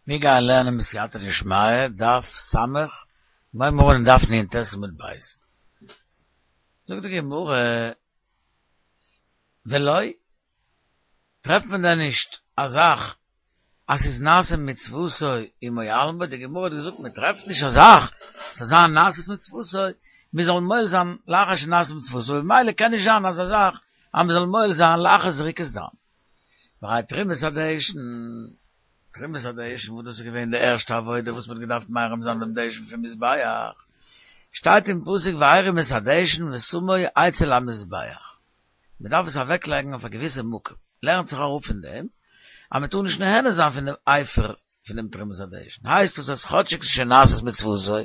מיר גייען לערנען בסייעתא דשמיא, דף ס', מיר הייבן אן אין דף נ"ט עמוד ב'. זאגט די גמרא, ולא, טרעפט מען דען נישט א זאך אז ס'איז נעשה מצוותו ומועלין בו, די גמרא האט געזאגט מען טרעפט נישט א זאך ס'זאל זיין נעשית מצוותו, מען זאל מועל זיין לאחר שנעשה מצוותו, ממילא קען נישט זיין אזא זאך אז מען זאל מועל זיין לאחר זריקת דם. והרי תרומת הדשן, תרומת הדשן וואס דאס איז געווען די ערשטע עבודה וואס מען האט געדארפט מרים זיין דעם דשן פון מזבח, שטייט אין פסוק והרים את הדשן ושמו אצל המזבח, מען דארף עס אוועק לייגן אויף א געוויסע מקום, לערנט זיך אראפ פון דעם אז מען טאר נישט נהנה זיין פון דעם אפר פון דעם תרומת הדשן, הייסט דאס אז כאטשיג ס'איז שוין נעשית מצוותו,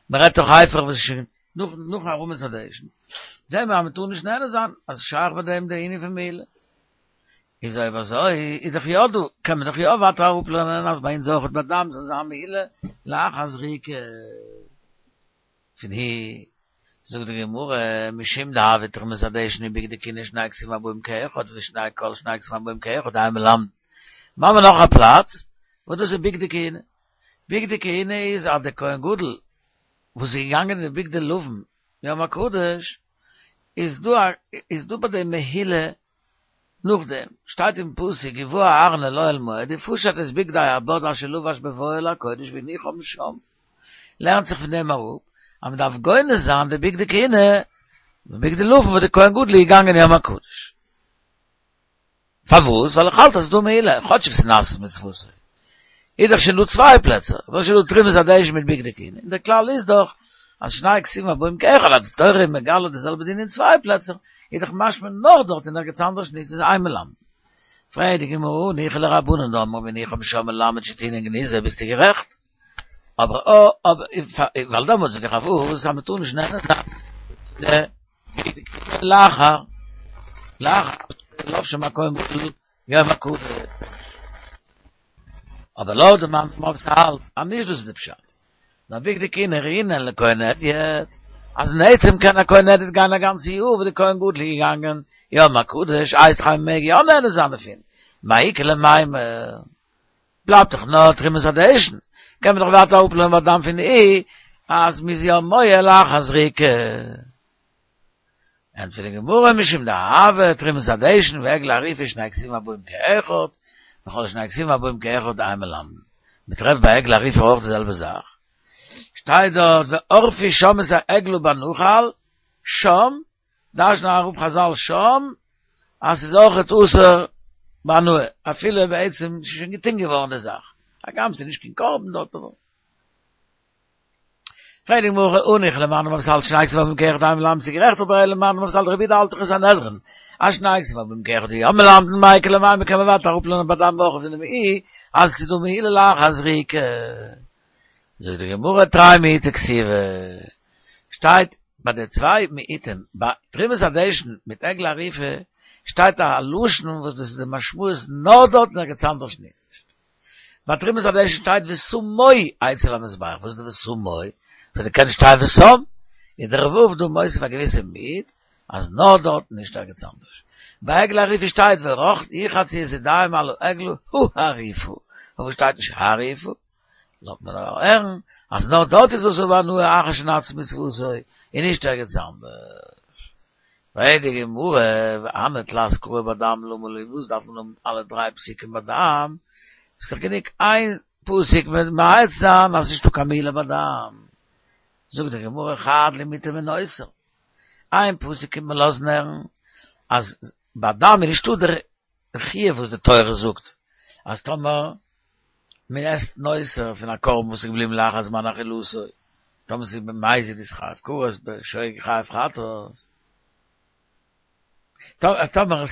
מען רעדט דאך אפר וואס איז שוין נאך נאכן הרמת הדשן, זעהן מיר אז מען טאר נישט נהנה זיין, אז ס'שייך ביי דעם די ענין פון מעילה. איז אויב אזוי איז דאך יא דא, קען מען דאך יא ווייטער אראפלערנען אז ביי אונז אויכעט ביי דם זאל זיין מעילה לאחר זריקה פון הי. זאגט די גמרא, משום דהוה תרומת הדשן ובגדי כהונה שני כתובים הבאים כאחד ושני כל שני כתובים הבאים כאחד אין מלמדין. מ'האמיר נאך א פלאץ וואס דאס איז בגדי כהונה. בגדי כהונה איז אז דער כהן גדול וואס איז געגאנגען אין די בגדי לבן יום הקדוש איז דא א איז דא ביי דעם מעילה נאכדעם שטייט אין פסוק ובא אהרן אל אוהל מועד ופשט את בגדי הבד אשר לבש בבואו אל הקודש והניחם שם לערנט זיך פון דעם אראפ אז מען דארף גונז זיין די בגדי כהונה די בגדי לבן וואס די כהן גדול איז געגאנגען יום הקדוש. פארוואס? ווייל איך האלט אז ס'איז דא מעילה, כאטשיג ס'איז נעשית מצוותו. איז דאך שוין דא צוויי פלעצער, איז דאך שוין דא תרומת הדשן מיט בגדי כהונה, און דער כלל איז דאך אז שני כתובים הבאים כאחד, אז די תורה איז מגלה די זעלבע דין אין צוויי פלעצער, איז דאך משמע נאר דארט און ערגעץ אנדערש נישט, איז אין מלמדין. פרעגט די גמרא, הניחא לרבנן דאמרי והניחם שם מלמד שטעונין גניזה, ביסטו גערעכט. אבער אבער ווייל דעמאלטס זאג איך פארוואס אז מ'טאר נישט נהנה זיין לאחר לאחר שלבשם הכהן גדול יום הקדוש אבער לויט די מאן דאמר וואס האלט אז נישט דאס איז די פשט נאר בגדי כהונה ראויין לכהן הדיוט אז אין עצם קען א כהן הדיוט גיין א גאנצע יאר ווי די כהן גדול איז געגאנגען יום הקדוש הייסט דאך אז מ'מעג יא נהנה זיין דערפון מאי איכא למימר בלייבט דאך נאר תרומת הדשן, קען מען דאך ווייטער אראפלערנען ביי דם פון אי אז מ'איז יא מועל לאחר זריקה. ענטפערט די גמרא משום דהוה תרומת הדשן ועגלה ערופה שני כתובים הבאים כאחד, וכל שני כתובים הבאים כאחד אין מלמדין. מ'טרעפט ביי עגלה ערופה אויך די זעלבע זאך. שטייט דארט וערפו שם את העגלה בנחל, שם, דרש'נען אראפ חזל שם אז ס'איז אויכעט אסור בהנאה, אפילו בעצם ס'איז שוין געטון געווארן די זאך, הגם ס'איז נישט קיין קרבן דארט אבער. פרעגט די גמרא הניחא למאן דאמר וואס האלט שני כתובים הבאים כאחד אין מלמדין ס'איז גערעכט אבער אלא למאן דאמר וואס האלט רבי יהודה האלט דאך אין סנהדרין אז שני כתובים הבאים כאחד יא מלמדין מאי איכא למימר קען מען ווייטער אראפלערנען ביי דם אויך פון דעם אי אז ס'איז דא מעילה לאחר זריקה. זאגט די גמרא תרי מיעוטי כתיבי שטייט ביי די צוויי מיעוטים ביי תרומת הדשן מיט עגלה ערופה שטייט א לשון וואס דאס איז די משמעות נאר דארט און ערגעץ אנדערש נישט. ביי תרומת הדשן שטייט ושמו אצל המזבח, וואס איז די ושמו? ס'האט געקענט שטיין ושם, איז דער ו' דא מוסיף א געוויסע מיעוט אז נאר דארט און נישט ערגעץ אנדערש. ביי עגלה ערופה שטייט ורחצו את ידיהם על העגלה הערופה, פארוואס שטייט נישט הערופה? לאזט מען הערן אז נאר דארט איז אסור בהנאה אחר שנעשית מצוותו און נישט ערגעץ אנדערש. פרעגט די גמרא, והני תלת קראי בדם למה לי, וואס דארף מען האבן אלע דריי פסוקים בדם, ס'איז דאך גענוג איין פסוק ממעט זיין אז ס'נישטא קיין מעילה בדם. זאגט די גמרא חד למעוטי מנותר, איין פסוק קומט מען לאזן הערן אז בדם איז נישטא דער חיוב וואס די תורה זאגט אז טאמער מען עסט נותר פון א קרבן וואס איז געבליבן לאחר זמן אכילתו, טאמער ס'איז במזיד איז חייב כרת, בשוגג חייב חטאת. טאמער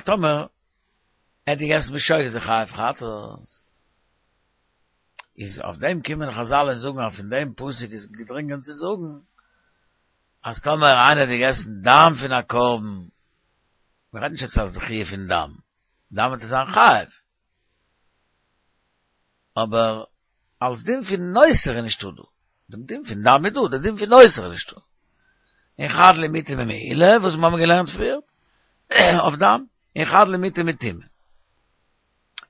טאמער ער האט געגעסן בשוגג איז ער חייב חטאת. איז אויף דעם קומען חזל און זאגן אז פון דעם פסוק איז געדרינגען צו זאגן אז טאמער איינער האט געגעסן דם פון א קרבן, מען רעדט נישט יעצט אלס חיוב פון דם, דם וועט ער זיין חייב, אבער אלס דין פון נותר איז נישטא דא, דעם דין פון דם איז דא, דער דין פון נותר איז נישטא. און חד למעוטי ממעילה, וואס מיר האבן געלערנט פריער, אויף דם, און חד למעוטי מטומאה.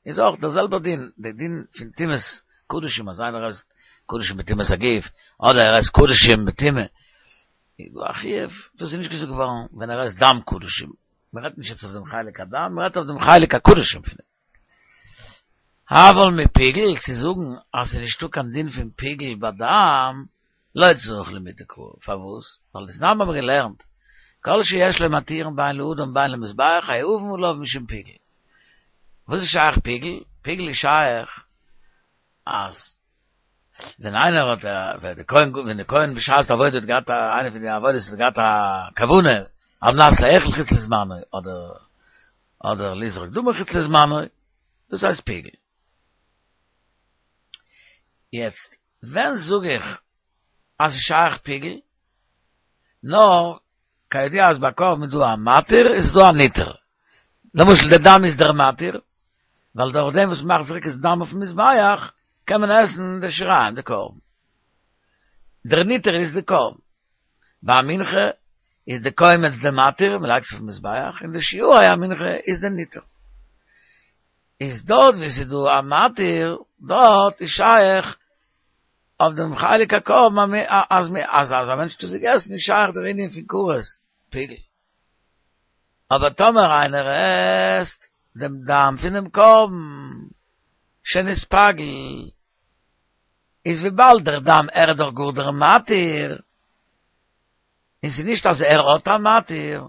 איז אויך דער זעלבער דין, דער דין פון טומאת. קדשים אז איינער עסט קדשים בטומאת הגוף, אדער ער עסט קדשים בטומאה, איז דא א חיוב, דאס איז נישט געזאגט געווארן ווען ער עסט דם קדשים, מען רעדט נישט יעצט אויף דעם חלק הדם, מען רעדט אויף דעם חלק הקדשים פון דעם. אבל מפיגול, צו זאגן אז ס'איז נישטא קיין דין פון פיגול ביי דם, לא צריך למידי קרא, פארוואס? ווייל דתנן האבן מיר געלערנט, כל שיש לו מתירין בין לאדם בין למזבח חייבין עליו משום פיגול. וואס איז שייך פיגול? פיגול איז שייך אז ווען איינער האט א, ווען די כהן, ווען די כהן בשעת די עבודה האט געהאט א, איינע פון די עבודות האט געהאט א כוונה, על מנת לאכול חוץ לזמנו, אדער אדער לזרוק דמו חוץ לזמנו, דאס הייסט פיגול. יעצט, ווען זאג איך אז ס'איז שייך פיגול? נאר, כידוע אז ביי קרבן איז דא א מתיר און ס'איז דא א נתר. למשל די דם איז דער מתיר, ווייל דורך דעם וואס מ'מאכט זריקת דם אויפן מזבח, קען מען עסן די שיריים, די קרבן. דער נתר איז די קרבן. ביי א מנחה איז די קומץ די מתיר, מ'לייגט עס אויפן מזבח, און די שיורי המנחה איז די נתר. איז דארט ווי ס'איז דא א מתיר, דארט איז שייך אויף דעם חלק הקרבן אז אז אז א מענטש האט עס געגעסן איז שייך דער ענין פון כרת, פיגול. אבער טאמער איינער עסט דעם דם פונעם קרבן שנתפגל, איז וויבאלד דער דם ער איז דאך גאר דער מתיר, און ס'איז נישט אז ער האט א מתיר,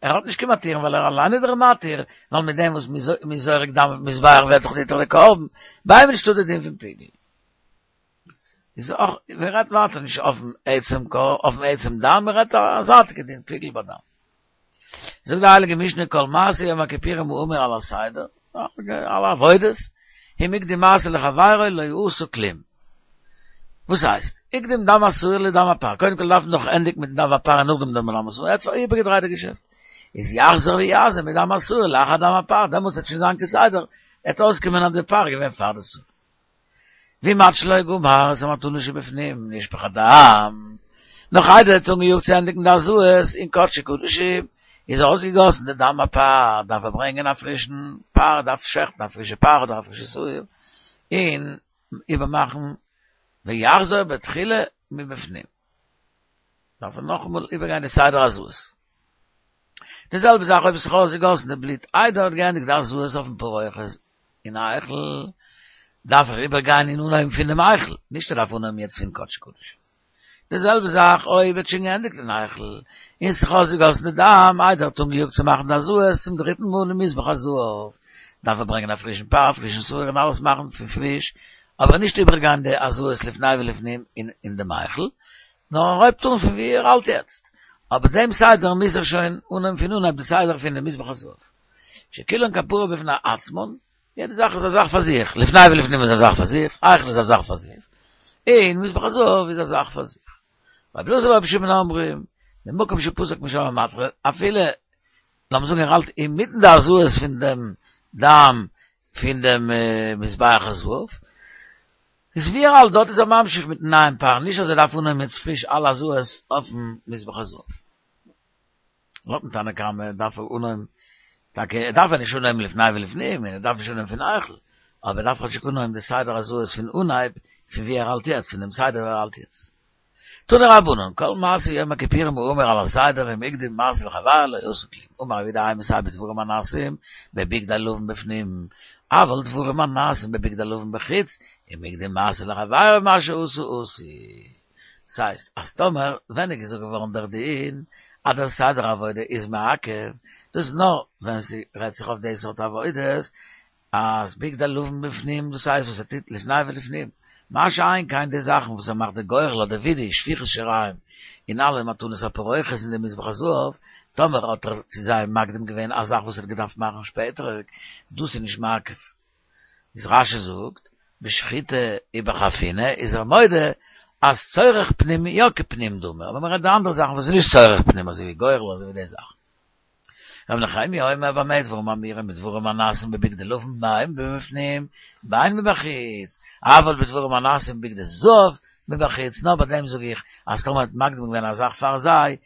ער האט נישט קיין מתיר ווייל ער אליין איז דער מתיר, ווייל מיט דעם וואס מ'איז זורק דם אויפן מזבח ווערט דאך ניתר די קרבן, ביי אים איז נישטא די דין פון פיגול. איז אויך, מען רעדט ווייטער נישט אויפן עצם קור, אויפן עצם דם, מען רעדט א זייטיגע דין, פיגול ביי דם. זאגט די הייליגע משנה כל מעשה יום הכיפורים האמור על הסדר, אלע עבודות, אם הקדים מעשה לחבירו לא עשה כלום. וואס הייסט? הקדים דם השעיר לדם הפר, קודם כל דארף מען דאך ענדיגן מיטן דם הפר און נאכדעם דם השעיר, יעצט איבערגעדרייט די געשעפט. איז יחזור ויזה מדם השעיר לאחר דם הפר, דעמאלטס וועט שוין זיין כסדר, עט אויסקומען אז די פר איז געווען פאר די שעיר. ואם עד שלא גמר את המתנות שבפנים נשפך הדם, נאך איידער ער האט אנגעיאגט צו ענדיגן די הזאות אין קדשי קדשים, איז אויסגעגאסן די דם הפר, דארף ער ברענגען א פרישן פר, דארף שעכטן א פרישע פר אדער א פרישע שעיר, און איבערמאכן ויחזור בתחילה מבפנים. דארף ער נאכאמאל איבערגיין די סדר הזאות. די זעלבע זאך אויב עס איז אויסגעגאסן די בלוט איידער ער האט געענדיגט די הזאות אויפן פרוכת אין היכל, דארף ער איבערגיין און אנהויבן פונעם היכל, נישט ער דארף אנהויבן יעצט פון קדשי קדשים. די זעלבע זאך אויב ער האט שוין געענדיגט אין היכל, און ס'איז אויסגעגאסן די דם איידער ער האט אנגעיאגט צו מאכן די הזאות צום דריטן מאל אין מזבח הזהב, דארף ער ברענגען א פרישן פר, א פרישן שעיר און אלעס מאכן פון פריש, אבער נישט איבערגיין די הזאות לפני ולפנים אין דעם היכל, נאר ער הויבט אן פון ווי ער האלט יעצט, אבער דעם סדר מוז ער שוין אנהויבן פון אנהייב די סדר פון די מזבח הזהב. שכולן כפרה בפני עצמן, יעדע זאך איז א זאך פאר זיך, לפני ולפנים איז א זאך פאר זיך, היכל איז א זאך פאר זיך, און מזבח הזהב איז א זאך פאר זיך. רבי אלעזר ורבי שמעון אומרים, ממקום שפסק משם מתחיל, אפילו, לאמיר זאגן ער האלט אינמיטן די הזאות פון דעם דם פון דעם מזבח הזהב, איז ווי ער האלט דארט איז ער ממשיך מיטן נייעם פר, נישט אז ער דארף אנהויבן יעצט פריש אלע הזאות אויפן מזבח הזהב. לויטן תנא קמא דארף ער אנהויבן, טאקע ער דארף נישט אנהויבן לפני ולפנים, און ער דארף נישט אנהויבן פון היכל, אבער ער דארף כאטשיג אנהויבן די סדר הזאות פון אנהייב, פון ווי ער האלט יעצט, פון דעם סדר ווי ער האלט יעצט. תנו רבנן, כל מעשה יום הכיפורים האמור על הסדר אם הקדים מעשה לחברו לא עשה כלום, אמר רב יהודה אימתי בדברים הנעשים בבגדי לבן בפנים, אבל דברים הנעשים בבגדי לבן בחוץ, אם הקדים מעשה לחברו מה שעשה עשוי. ס'הייסט אז טאמער ווען איז געזאגט געווארן דער דין אז דער סדר עבודה איז מעכב, דאס איז נאר ווען ס'רעדט זיך אויף די סארט עבודות, אז בגדי לבן בפנים דאס הייסט וואס ער טוט לפני ולפנים, מה שאין כן די זאכן וואס ער מאכט די גורל אדער וידוי שפיכת שיריים און אלע מתנות הפרוכת אין די מזבח הזהב, טאמער האט ער צו זיי מקדים געווען א זאך וואס ער האט געדארפט מאכן שפעטער, דאס איז נישט מעכב. איז רש"י זאגט, בשחיטה ובחפינה איז ער מודה אז צורך פנים יא כפנים דמי, אבער מען רעדט די אנדערע זאכן וואס איז נישט צורך פנים אזוי ווי גורל אזוי ווי די זאכן. רבי נחמיה אומר במה דברים אמורים בדברים הנעשים בבגדי לבן בין מבפנים בין מבחוץ, אבל בדברים הנעשים בבגדי זהב מבחוץ, נאר ביי דעם זאג איך אז טאמער האט מקדים געווען א זאך פאר זיי,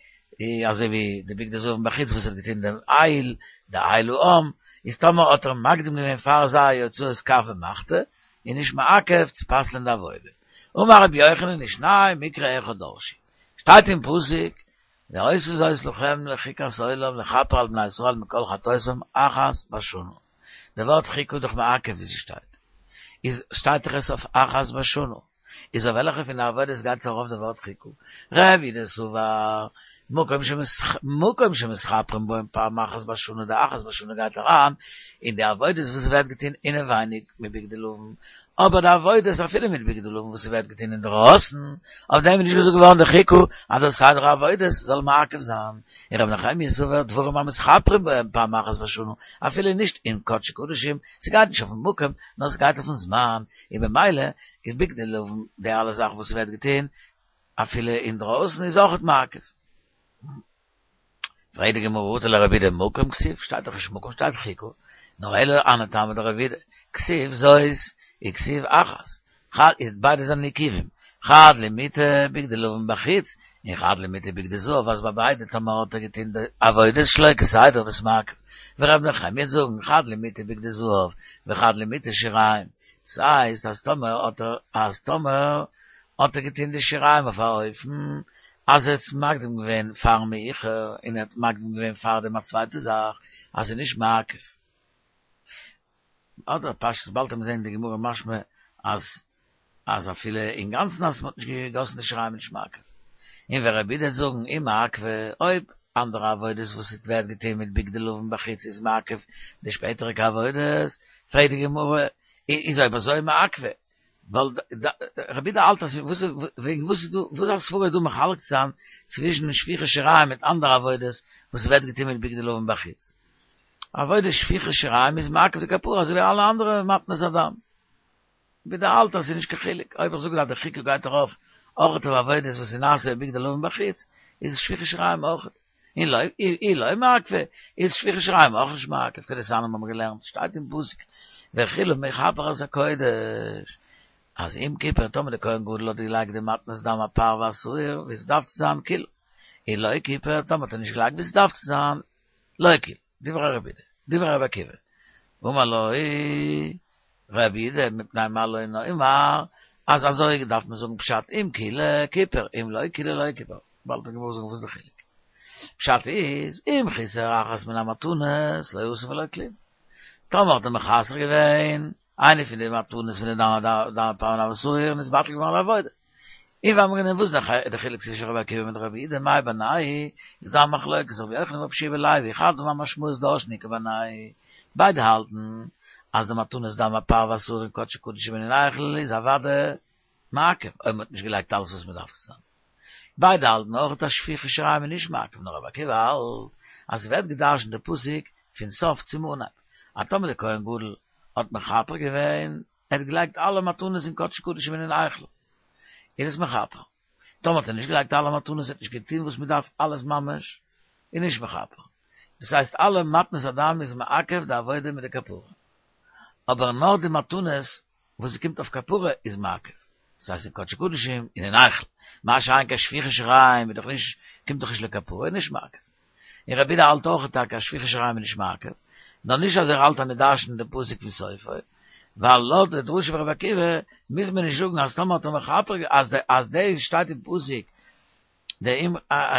אזוי ווי די בגדי זהב מבחוץ וואס האט געטון דעם איל, די איל העם, איז טאמער האט ער מקדים געווען פאר זיי הוצאת כף ומחתה, איז נישט מעכב צו פסל'ען די עבודה. אמר רבי יוחנן ושנים מקרא אחד דרשו. שטייט אין פסוק והיתה זאת לכם לחוקת עולם לכפר על בני ישראל מכל חטאותם אחת בשנה. די ווארט חוקה איז דאך מעכב ווי ס'שטייט. איז שטייט דאך עס אויף אחת בשנה. איז אויף וועלכע פון די עבודות גייט ארויף די ווארט חוקה? רבי יהודה סבר, מקום מקום שמתכפרים בו פעם אחת בשנה, די אחת בשנה גייט אריין אין די עבודות וואס ווערט געטון אינעווייניג מיט בגדי לבן, אבער די עבודות אפילו מיט בגדי לבן וואס ס'ווערט געטון אינדרויסן, אויף דעם איז נישט געזאגט געווארן די חוקה אז דער סדר העבודות זאל מעכב זיין, און רבי נחמיה סבר דברים המתכפרים בהם פעם אחת בשנה, אפילו נישט אין קדשי קדשים, ס'גייט נישט אויפן מקום, נאר ס'גייט אויפן זמן, און במילא איז בגדי לבן די אלע זאכן וואס ס'ווערט געטון אפילו אינדרויסן איז אויכעט מעכב. פרעגט די גמרא אטו לרבי יהודה מקום כתיב, שטייט דאך נישט מקום שטייט חוקה, נאר אלא אנא טעמא דרבי יהודה, כתיב זאת וכתיב אחת, חד איז ביידע זענען עיכובים, חד למעוטי בגדי לבן בחוץ, און חד למעוטי בגדי זהב אז ביי ביידע טאמער האט ער געטון די עבודות שלא כסדר דאס מעכב, ורבי נחמיה וועט זאגן חד למעוטי בגדי זהב וחד למעוטי שיריים, דאס הייסט אז טאמער האט ער אז טאמער האט ער געטון די שיריים אויף א אופן אז ער האט עס מקדים געווען פארן מעוכר און ער האט מקדים געווען פאר דעם א צווייטע זאך אז ס'איז נישט מעכב. אדער פשטות באלד וועט מען זען אין די גמרא משמע אז אז אפילו אינגאנצן אז מ'האט נישט געגאסן די שיריים איז נישט מעכב. און ווען רבי יהודה וועט זאגן אם מעכבא אויב אנדערע עבודות וואס עס ווערט געטון מיט בגדי לבן בחוץ איז מעכב די שפעטעריגע עבודות, פרעגט די גמרא איז אויב אזוי מעכבא ווייל רבי יהודה האלט אז וואס וועגן וואס איז דא וואס א סברא איז דא מחלק צו זיין צווישן שפיכת שיריים מיט אנדערע עבודות וואס ווערט געטון מיט בגדי לבן בחוץ. עבודת שפיכת שיריים איז מעכב די כפרה אזוי ווי אלע אנדערע מתנות הדם. רבי יהודה האלט אז ס'איז נישט קיין חילוק אויב איך זאג אז די חוקה גייט ארויף אויכעט אויף עבודות וואס איז נעשה בבגדי לבן בחוץ איז שפיכת שיריים אויכעט. און לא אי לא מעכבא איז שפיכת שיריים אויך נישט מעכב כדתניא האבן מיר געלערנט שטייט אין פסוק וכלה מכפר את הקודש אז אם כיפר טאמער די כהן גדול האט געלייגט די מתנות דם הפר והשעיר ווי ס'דארף צו זיין קילל אי לא כיפר טאמער האט ער נישט געלייגט ווי ס'דארף צו זיין לא קילל דברי רבי יהודה דברי רבי עקיבא אמר לו רבי יהודה מפני מה לא נאמר אז אזוי דארף מען זאגן פשט אם קילל כיפר אם לא קילל לא כיפר באלד וועט די גמרא זאגן וואס איז די חילוק. פשט איז, אם חיסר אחת מן המתנות לא עשה ולא כלום. טאמער האט ער מחסר געווען איינע פון די מתנות פון די דם דם הפר און השעיר איז בטל געווארן די עבודה. און ואמרינן וואס איז די חילוק צווישן רבי עקיבא מיט רבי יהודה מאי בינייהו איז דא א מחלוקת רבי יוחנן ורבי יהושע בן לוי חד אמר משמעות דורשין איכא בינייהו ביידע האלטן אז די מתנות דם הפר והשעיר אין קדשי קדשים און אין היכל איז אוודאי מעכב אויב מ'האט נישט געלייגט אלעס וואס מ'דארף צו זיין. ביידע האלטן אויך אז שפיכת שיריים איז נישט מעכב נאר רבי עקיבא האלט אז ס'ווערט געדרשנט די פסוק פון סוף צום אנהייב אז טאמער די כהן גדול האט מכפר געווען ער האט געלייגט אלע מתנות אין קדשי קדשים און אין היכל איז עס מכפר טאמער האט ער נישט געלייגט אלע מתנות ער האט נישט געטון וואס מ'דארף אלעס ממש איז נישט מכפר דאס הייסט אלע מתנות הדם איז מעכב די עבודה מיט די כפרה אבער נאר די מתנות וואס ס'קומט אויף כפרה איז מעכב, דאס הייסט אין קדשי קדשים און אין היכל, מה שאין כן שפיכת שיריים איז דאך נישט, קומט דאך נישט לכפרה איז נישט מעכב. און רבי יהודה האלט אויך טאקע אז שפיכת שיריים איז נישט מעכב, נאר נישט אז ער האלט אז מ'דרש'נט די פסוק פון סופו, ווייל לויט די דרשה פון רבי עקיבא מוז מען נישט זאגן אז טאמער האט ער מכפר אז אז דאס שטייט אין פסוק די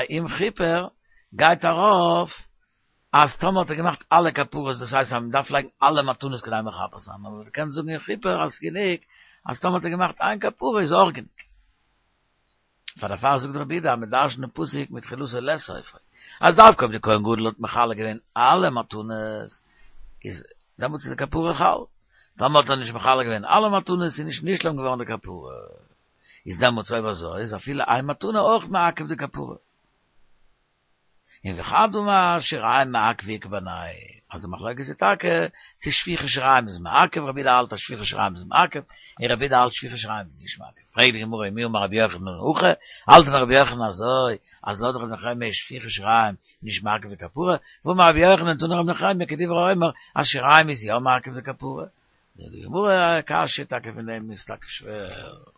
אם כיפר גייט ארויף אז טאמער האט ער געמאכט אלע כפרות דאס הייסט אז מען דארף לייגן אלע מתנות כדי מכפר זיין, אבער מען קען זאגן אם כיפר אז ס'גענוג אז טאמער האט ער געמאכט איין כפרה איז אויך גענוג. פאר דערפאר זאגט רבי יהודה אז מען דרש'נט דעם פסוק מתחילתו לסופו, אז דווקא אויב די כהן גדול האט מחלק געווען אלע מתנות איז דעמאלטס איז די כפרה חל, טאמער האט ער נישט מחלק געווען אלע מתנות איז נישט נשלם געווארן די כפרה, איז דעמאלטס אויב אזוי איז אפילו איין מתנה אויך מעכב די כפרה. און וחד אמר שיריים מעכבא איכא בינייהו, אז די מחלוקת איז טאקע צו שפיכת שיריים איז מעכב, רבי יהודה האלט אז שפיכת שיריים איז מעכב, און רבי יהודה האלט שפיכת שיריים איז נישט מעכב. פרעגט די גמרא ומי אמר רבי יוחנן הכי, האלט דען רבי יוחנן אזוי אז לויט רבי נחמיה איז שפיכת שיריים נישט מעכב די כפרה, והאמר רבי יוחנן תני רבי נחמיה כדברי האומר אז שיריים איז יא מעכב די כפרה. זאגט די גמרא א קשיא טאקע פון דעם איז טאקע שווער.